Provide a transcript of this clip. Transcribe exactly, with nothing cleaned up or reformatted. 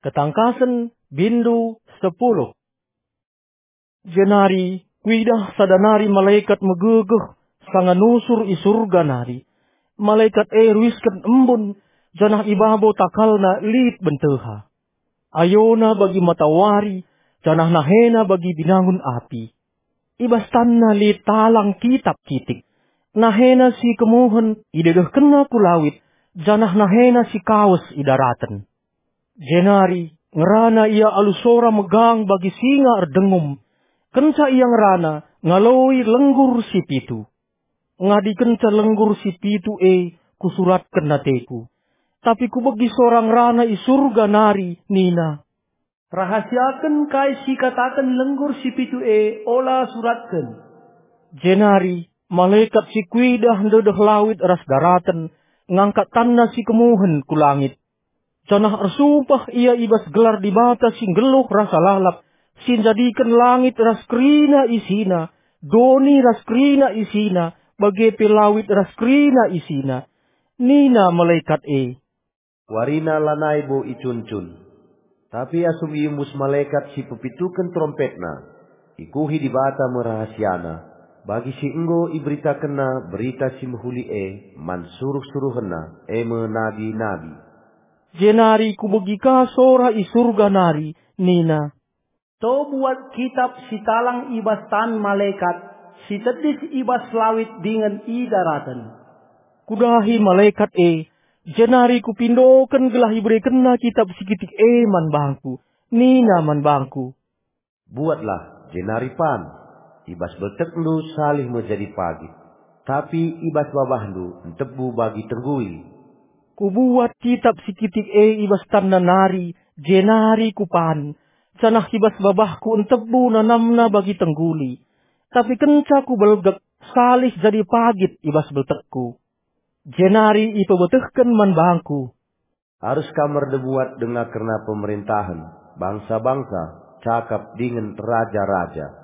Ketangkasen, bindu sepuluh. Jenari kuidah sada nari malekat megegeh sanga nusur i Surga nari. Malekat e ruisken embun, janah i babo takalna lit benteha. Ayona bagi matawari, janah nahena bagi binangun api. I bas tanna lit talang kitap kitik. Nahena si kemuhen idedehkenna ku lawit, janah nahena si kawes i daraten. Jenari ngerana ia alu sora megang bagi singa erdengum. Kenca ia ngerana, ngaloi lenggur si pitu. Ngadikenca lenggur si pitu e, kusuratken ateku. Tapi kubegi sora ngerana i Surga nari, nina, "Rahasiaken kai si ikataken lenggur si pitu e, ola suratken." Jenari malekat si kuidah ndedeh lawit ras daraten, ngangkat tanna si kemuhen ku langit. Janah ersumpah ia i bas gelar Dibata si nggeluh rasa lalap, si njadiken langit ras kerina isina, doni ras kerina isina, bage pe lawit ras kerina isina. Nina malekat e, "Warina lanai bo icuncun." Tapi asum iembus malekat si pepituken terompetna, ikuhi Dibata me rahasiana, bagi si enggo iberitakenna Berita Si Mehuli e man suruh-suruhenna, e me nabi-nabi. Jenari kubegi ka sora i Surga nari, nina, "To buat kitap si talang i bas tan malekat, si tedis i bas lawit dingen i daraten." Kudahi malekat e, jenari kupindoken gelah iberekenna kitap si kitik e man bangku. Nina man bangku, "Buatlah, jenari pan. I bas beltekndu salih me jadi pagit, tapi i bas babahndu ntebu bagi tengguli." Kubuat kitap si kitik e i bas tanna nari, jenari kupan, janah i bas babahku ntebu nanamna bagi tengguli. Tapi kenca kubelgek, salih jadi pagit i bas beltekku. Jenari ipebetehken man bangku, "Arus kam erdebuat denga kerna pemerentahen, bangsa-bangsa, cakap dingen raja-raja."